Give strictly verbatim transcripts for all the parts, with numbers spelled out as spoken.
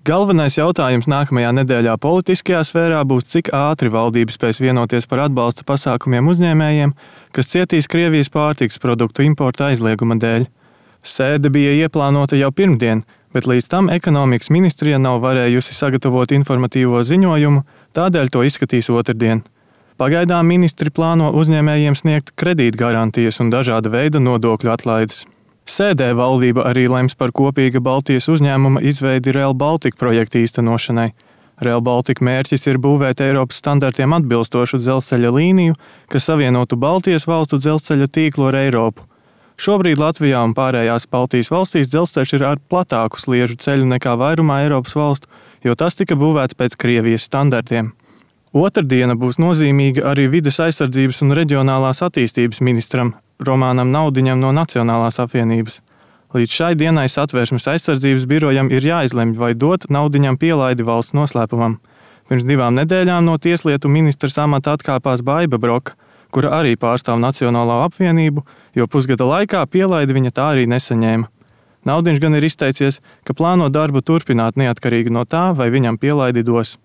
Galvenais jautājums nākamajā nedēļā politiskajā sfērā būs, cik ātri valdība spēs vienoties par atbalsta pasākumiem uzņēmējiem, kas cietīs Krievijas pārtikas produktu importa aizlieguma dēļ. Sēde bija ieplānota jau pirmdien, bet līdz tam ekonomikas ministrija nav varējusi sagatavot informatīvo ziņojumu, tādēļ to izskatīs otrdien. Pagaidām ministri plāno uzņēmējiem sniegt kredītgarantijas un dažāda veida nodokļu atlaides. Sēdē valdība arī lems par kopīga Baltijas uzņēmuma izveidi Rail Baltica projekta īstenošanai. Rail Baltica mērķis ir būvēt Eiropas standartiem atbilstošu dzelzceļa līniju, kas savienotu Baltijas valstu dzelzceļa tīklu ar Eiropu. Šobrīd Latvijā un pārējās Baltijas valstīs dzelzceļš ir ar platāku sliežu ceļu nekā vairumā Eiropas valstu, jo tas tika būvēts pēc Krievijas standartiem. Otrdiena būs nozīmīga arī vides aizsardzības un reģionālās attīstības ministram Romānam Naudiņam no Nacionālās apvienības. Līdz šai dienai Satversmes aizsardzības birojam ir jāizlemj, vai dot Naudiņam pielaidi valsts noslēpumam. Pirms divām nedēļām no tieslietu ministras amata atkāpās Baiba Broka, kura arī pārstāv Nacionālo apvienību, jo pusgada laikā pielaidi viņa tā arī nesaņēma. Naudiņš gan ir izteicies, ka plāno darbu turpināt neatkarīgi no tā, vai viņam pielaidi dos.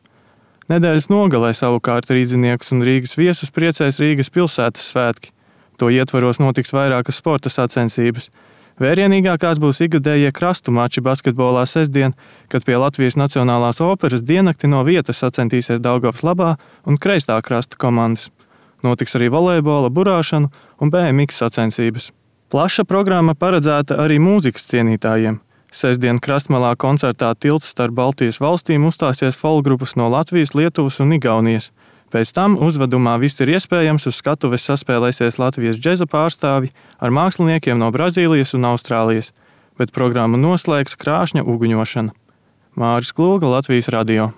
Nedēļas nogalē savukārt rīdziniekus un Rīgas viesus priecēs Rīgas pilsētas svētki. To ietvaros notiks vairākas sporta sacensības. Vērienīgākās būs ikgadējie krastu mači basketbolā sestdien, kad pie Latvijas Nacionālās operas diennakti no vietas sacentīsies Daugavas labā un kreistā krasta komandas. Notiks arī volejbola, burāšanu un B M X sacensības. Plaša programma paredzēta arī mūzikas cienītājiem. Sestdien Krastmalā koncertā Tilts starp Baltijas valstīm uzstāsies folkgrupas no Latvijas, Lietuvas un Igaunijas. Pēc tam uzvedumā viss ir iespējams, uz skatuves saspēlēsies Latvijas džeza pārstāvji ar māksliniekiem no Brazīlijas un Austrālijas, bet programmu noslēgs krāšņa uguņošana. Māris Klūga, Latvijas radio.